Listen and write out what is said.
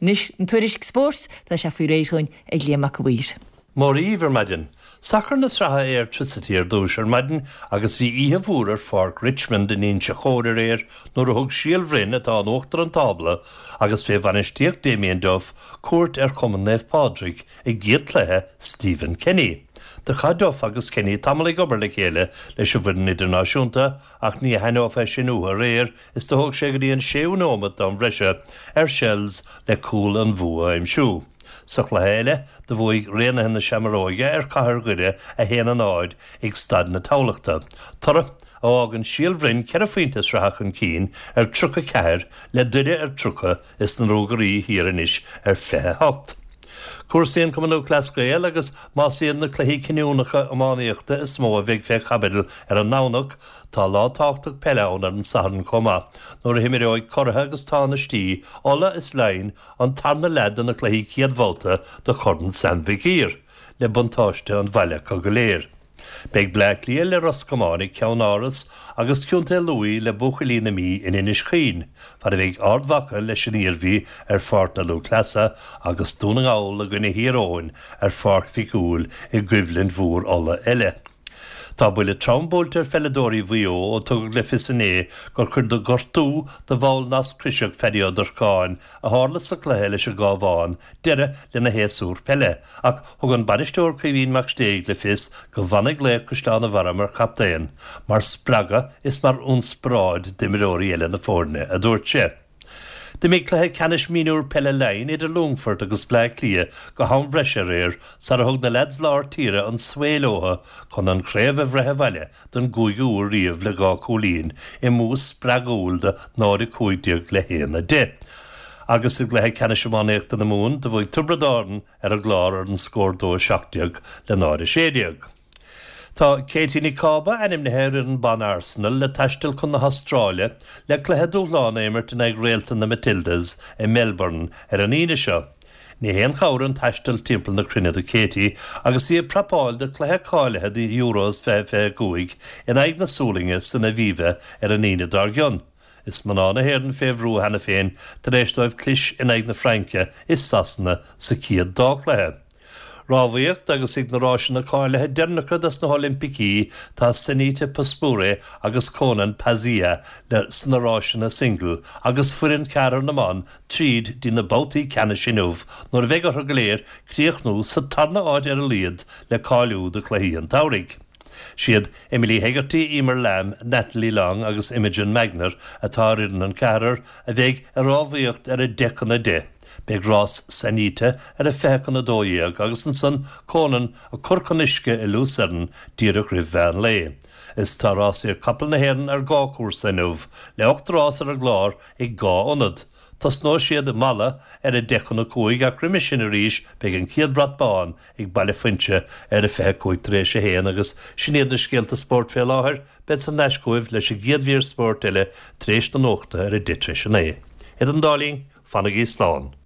Anois an tuairisc spóirt, tá sé faoi réir dhúinn ag Liam Mac a' Mhaoir. Móra dhíbh ar maidin. Sacar na sraithe Airtricity ar dtúis ar maidin agus bhí oíche mhór ar Pháirc Richmond in Inse Chór aréir nuair a thug Síol Bhroin, atá in uachtar an tábla agus fé bhainistíocht Damien Duff, cuairt ar Chumann Naomh Pádraig i gcéad cluiche Stephen Kenny. Do chaith Duff agus Kenny tamall ag obair le chéile leis an bhfoireann idirnáisiúnta Ach ní aithneofá é sin uathu aréir is do thóg sé go dtí an séú nóimeat d'am bhreise ar Shels le cúl an bhua a aimsiú. Sa chluiche eile, do bhuaigh Raonaithe na Seamróige ar Chathair Dhoire 1-0 ag Staid na Tamhlachta, toradh a fhágann Síol Bhroin 4 phointe sraithe chun cinn ar 34 le Doire ar 30 is na Ruagairí thiar anois ar 28. Cúrsaí an Chumann Lúthchleas Gael agus más iad na cluichí cinniúnacha iománaíochta is mó a bheidh fé chaibidil ar an nDomhnach, tá lá tábhachtach peile ann ar an Satharn chomh maith nuair a himreoidh curaithe agus tánaistí Uladh is Laighin an tarna leath de na cluichí céad bhabhta de Chorn Sam Mhig Uidhir le buntáiste an bhaile acu go léir. Beidh Bleá Cliath le Ros Comáin ag Ceann Áras agus Contae Lú le buachaillí na Mí in Inis Caoin, fad a bheidh Ard Mhacha leis an Iarmhí ar Pháirc na Lúthchleasa agus Dún na nGall i gcoinne Thír Eoghain ar Pháirc Mhic Cumhaill i gcoimhlint mhór Uladh eile. Tá buille trom buailte ar pheileadóirí Mhaigh Eo ó tugadh le fios inné gur chuid de ghortú do bhall Nasc Croiseach Phaddy Ó Durcáin a tharla sa chluiche leis an gCábhán deireadh lena shéasúr peile ach thug an bainisteoir Caoimhín Mac Stéig le fios go bhfanfaidh laoch Chaisleán an Bharraigh mar chaptaen, mar spreagadh is mar ionspioráid d'imreoirí eile na foirne, a dúirt sé. D'imigh cluiche ceannais mionúr peile Laighean idir Longfort agus Bleá Cliath go ham bhreise aréir sara thug na leaids lár tíre an svae leo chun an chraobh a bhreith abhaile don gcúigiú huair riamh le 2 chúilín i mbua spreagúil de 0-15 le 1-10. Agus i gcluiche ceannais iománaíochta na Mumhan do bhuaigh Tiobraid Árann ar an gClár ar an scór 2-17 le 0-16. Tá Katie Nic Cába ainmnithe ar fhoireann ban Arsenal le taisteal chun na hAstráile le cluiche dúshláin a imirt in aghaidh réalta na Matildas i Melbourne ar an Aoine seo. Ní haon chabhair an taisteal timpeall na cruinne do Katie agus í ag prapáil do chluiche cáilithe do Euros 2025 in aghaidh na Sualainne san Aviva ar an Aoine dár gcionn. Is mná na hÉireann fé bhrú cheana féin tar éis dóibh clis in aghaidh na Fraince is Sasana sa chéad dá chluiche. Rámhaíocht agus ag na ráiseanna cáilithe deireanacha dos na hOilimpicí tá Sanita Puspure agus Conan Pazzia le sna ráiseanna single agus foireann ceathrar na mban tríd dtí na babhtaí ceannais inniu nuair a bheidh orthu go léir críochnú sa tarna áit ar a laghad le cáiliú do chluichí an tsamhraidh. Siad Emily Hegarty, Eimear Lambe, Natalie Long agus Imogen Magner atá ar fhoireann an ceathrar a bheidh ag rámhaíocht ar 9:50. Beidh rás Sanita ar 11:40 agus ansan Conan ag cur chun uisce i Lucerne díreach roimh mheán lae. Is tá rásaíocht capall na hÉireann ar dhá chúrsa inniu, le 8 rás ar an gclár ag 2 ionad. Tosnóidh siad i Mala ar 4:50 ach roimhe sin arís beidh an chéad brat bán ag Baile Fuinse ar 1:25 agus sin iad na scéalta spóirt fé láthair. Bead thar n-ais chugaibh leis an gcéad mhír spóirt eile tar éis na nuachta ar 9:10. Idir an dá linn, fanaigí slán.